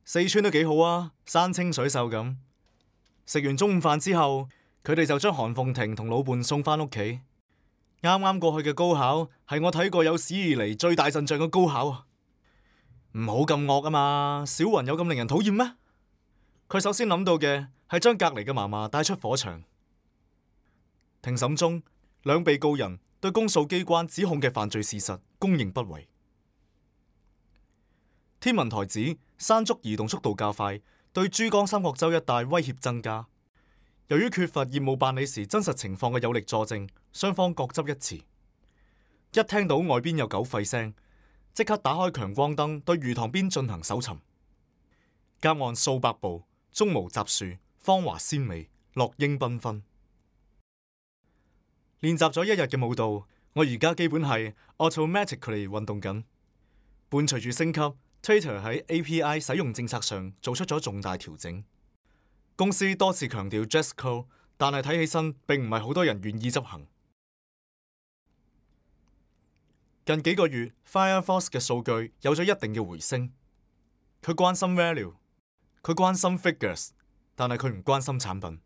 四川都幾好啊，山清水秀咁。食完中午飯之後，佢哋就將韓鳳婷同老伴送返屋企。啱啱過去嘅高考係我睇過有史以嚟最大陣仗嘅高考啊！唔好咁惡啊嘛，小雲有咁令人討厭咩？佢首先諗到嘅係將隔離嘅嫲嫲帶出火場。庭審中，兩被告人對公訴機關指控嘅犯罪事實供認不諱。天文台指山竹移動速度較快，對珠江三角洲一帶威脅增加。由於缺乏業務辦理時真實情況嘅有力佐證，雙方各執一詞。一聽到外邊有狗吠聲，即刻打開強光燈對魚塘邊進行搜尋。隔岸數百步，中無雜樹，芳華鮮美，落英繽紛。練習咗一日嘅舞蹈，我而家基本係 automatically 運動緊。伴隨住升級， Twitter 喺 API 使用政策上做出咗重大調整。公司多次強調 dress code， 但係睇起身並唔係好多人願意執行。近幾個月 Firefox 嘅數據有咗一定嘅回升。佢關心 value， 佢關心 figures， 但係佢唔關心產品。